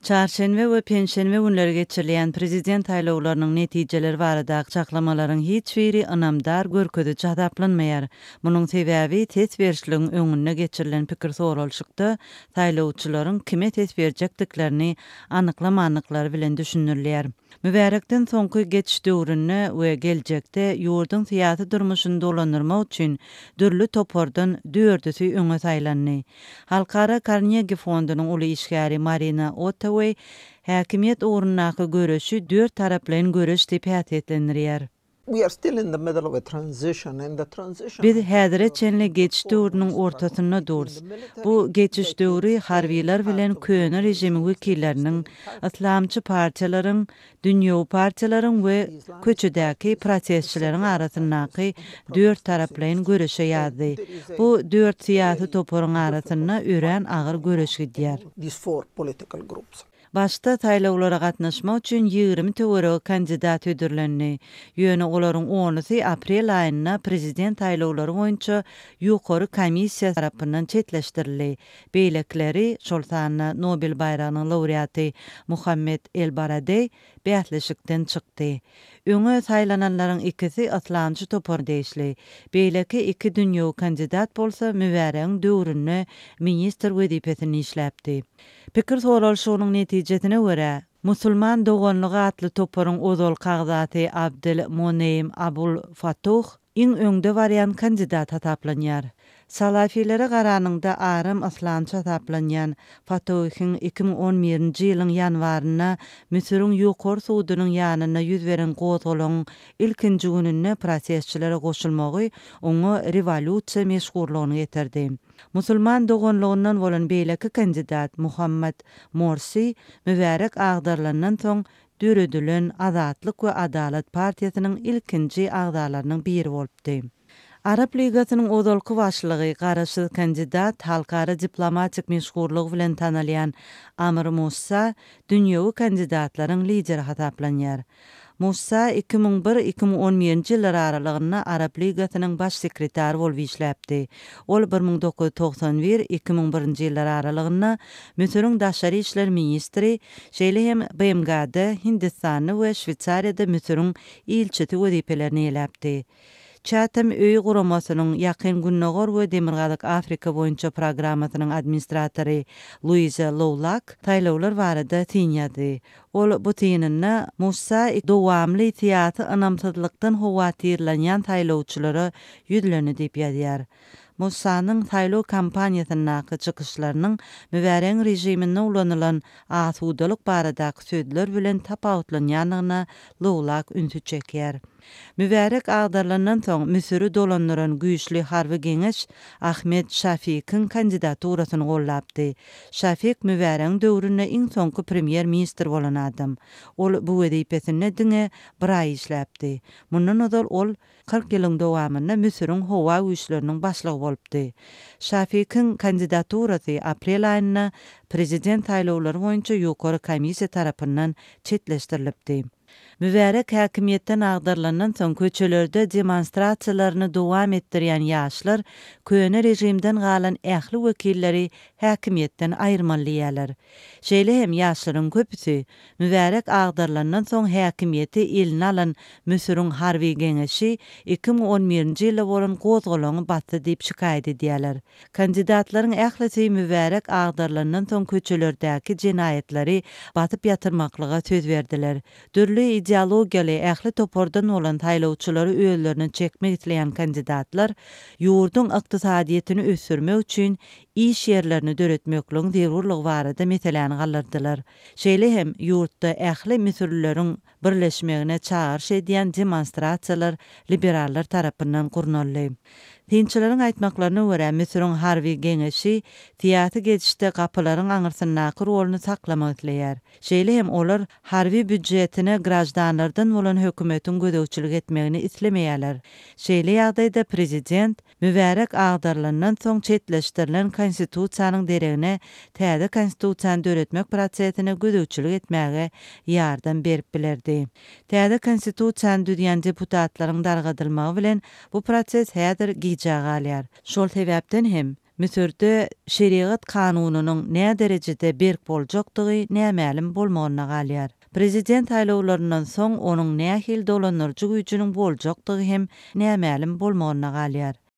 Çarşenbe we penşenbe günleri geçirilýän prezident saýlawlarynyň netijeleri baradaky çaklamalaryň hiç biri ynamdar görkeziji hasaplanmaýar. Munuň sebäbi ses berişligiň öňünde geçirilen pikir soralyşykda saýlawçylaryň kime ses berjekdiklerini anyklamandyklary bilen düşündirilýär. Mübärekden soňky geçiş döwründe we geljekde ýurduň syýasy durmuşyny dolandyrmak üçin dürli topardan dördüsi öňe saýlandy. Halkara Karnegi fondunyň uly işgäri Marina Ottaway häkimiýet ugrundaky göreşi dört taraplaýyn göreş diýip häsiýetlendirýär. Biz häzire çenli geçiş döwrüniň ortasynda durus. Bu geçiş döwri harbylar bilen köne režimiň wekilleriniň, yslamçy partiýalaryň, dünýewi partiýalaryň we köçedäki protestçileriň arasyndaky dört taraplaýyn göreşe ýazdy. Bu dört syýasy toparyň arasynda örän agyr göreş gidýär. Başda saýlawlara gatnaşmak üçin 20 töweregi kandidat hödürlendi. Ýöne olaryň onusy aprel aýynda prezident saýlawlary boýunça Ýokary komissiýa tarapyndan çetleşdirildi. Beýlekileri, şol sanda Nobel baýragynyň laureaty Muhammed El-Baradeý bäsleşikden çykdy. Öňe saýlananlaryň ikisi yslamçy topara degişli. Beýleki iki dünýewi kandidat bolsa Mübäregiň döwründe ministr wezipesinde işläpdi. Pikir soralyşygynyň netijesine görä, Musulman doganlygy atly toparyň ozalky agzasy Abdel Moneým Abul Fatuh iň öňde barýan kandidat hasaplanýar. Salafilere garanyňda aram yslamçy hasaplanýan Fatuhyň 2011-nji ýylyň ýanwarynda Müsüriň Ýokary sudunyň ýanynda ýüz beren gozgalaňyň ilkinji gününde protestçilere goşulmagy oňa rewolýusiýa meşhurlygyny getirdi. Musulman doganlygyndan bolan beýleki kandidat Muhammad Morsi Mübärek agdarylandan soň döredilen Azatlyk we Adalat partiýasynyň ilkinji agzalarynyň biri bolupdy. Arap Ligasynyň ozalky başlygy, garaşsyz kandidat, halkara diplomatik meşhurlygy bilen tanalýan Amr Mussa dünýewi kandidatlaryň lideri hasaplanýar. Musa 2001, 2011-nji ýyllar aralygynda Arap Ligasynyň baş sekretary bolup işläpdi. Ol 1991, 2001-nji ýyllar aralygynda Müsüriň daşary işler ministri, şeýle hem BMG-de, Hindistanda we Şweýsariýada Müsüriň ilçisi wezipelerini eýeläpdi. Chatham öýi guramasynyň Ýakyn Gündogar we Demirgazyk Afrika boýunça programmasynyň administratory Luiza Lowlak saýlawlar barada syn ýazdy. Ol bu synynda Musa dowamly syýasy ynamsyzlykdan howatyrlanýan saýlawçylara ýüzlendi diýip ýazýar. Musanyň saýlaw kampaniýasyndaky çykyşlarynyň Mübäregiň režiminde ulanylan asudalyk baradaky sözler bilen tapawutlanýandygyna Lowlak ünsi çekýär. Mübärek agdarylandan soň Müsüri dolandyran güýçli harby geňeş Ahmed Şafikiň kandidaturasyny goldapdy. Şafik Mübäregiň döwründe iň soňky premýer-ministr bolan adam. Ol bu wezipesinde diňe bir aý işläpdi. Mundan ozal ol 40 ýylyň dowamynda Müsüriň howa güýçleriniň başlygy bolupdy. Şafikiň kandidaturasy aprel aýynda prezident saýlawlary boýunça ýokary komissiýa tarapyndan çetleşdirilipdi. Mübärek häkimiýetden agdarylandan soň köçelerde demonstrasiýalaryny dowam etdirýän ýaşlar köne režimden galan ähli wekilleri häkimiýetden aýyrmaly diýýärler. Şeýle hem ýaşlaryň köpüsi Mübärek agdarylandan soň häkimiýeti eline alan Müsüriň harby geňeşi 2011-nji ýylda bolan gozgalaňy basdy diýip şikaýat edýärler. Kandidatlaryň ählisi Mübärek agdarylandan soň köçelerdäki jenaýatlary basyp ýatyrmaklyga söz berdiler. Dürli ideologiýaly ähli topardan bolan saýlawçylary özlerine çekmek isleýän kandidatlar ýurduň ykdysadyýetini ösdürmek üçin iş ýerlerini döretmekligiň zerurlygy barada meseläni galdyrdylar. Şeýle hem ýurtda ähli müsürlileriň birleşmegine çagyryş edýän demonstrasiýalar liberallar tarapyndan gurnaldy. Synçylaryň aýtmaklaryna görä, Müsüriň harby geňeşi syýasy geçişde gapylaryň aňyrsyndaky roluny saklamak isleýär. Şeýle hem olar harby býudjetine graždanlardan bolan hökümetiň gözegçilik etmegini islemeýärler. Şeýle ýagdaýda prezident Mübärek agdarylandan soň çetleşdirilen konstitusiýanyň deregine täze konstitusiýany döretmek prosesine gözegçilik etmäge ýardam berip bilerdi. Täze konstitusiýany düzýän deputatlaryň dargadylmagy bilen bu proses häzir gijä galýar. Şol sebäpden hem, Müsürde şerigat kanunynyň näderejede berk boljakdygy nämälim bolmagynda galýar. Prezident saýlawlaryndan soň onuň nähili dolandyryjy güýjüniň boljakdygy hem nämälim bolmagynda galýar.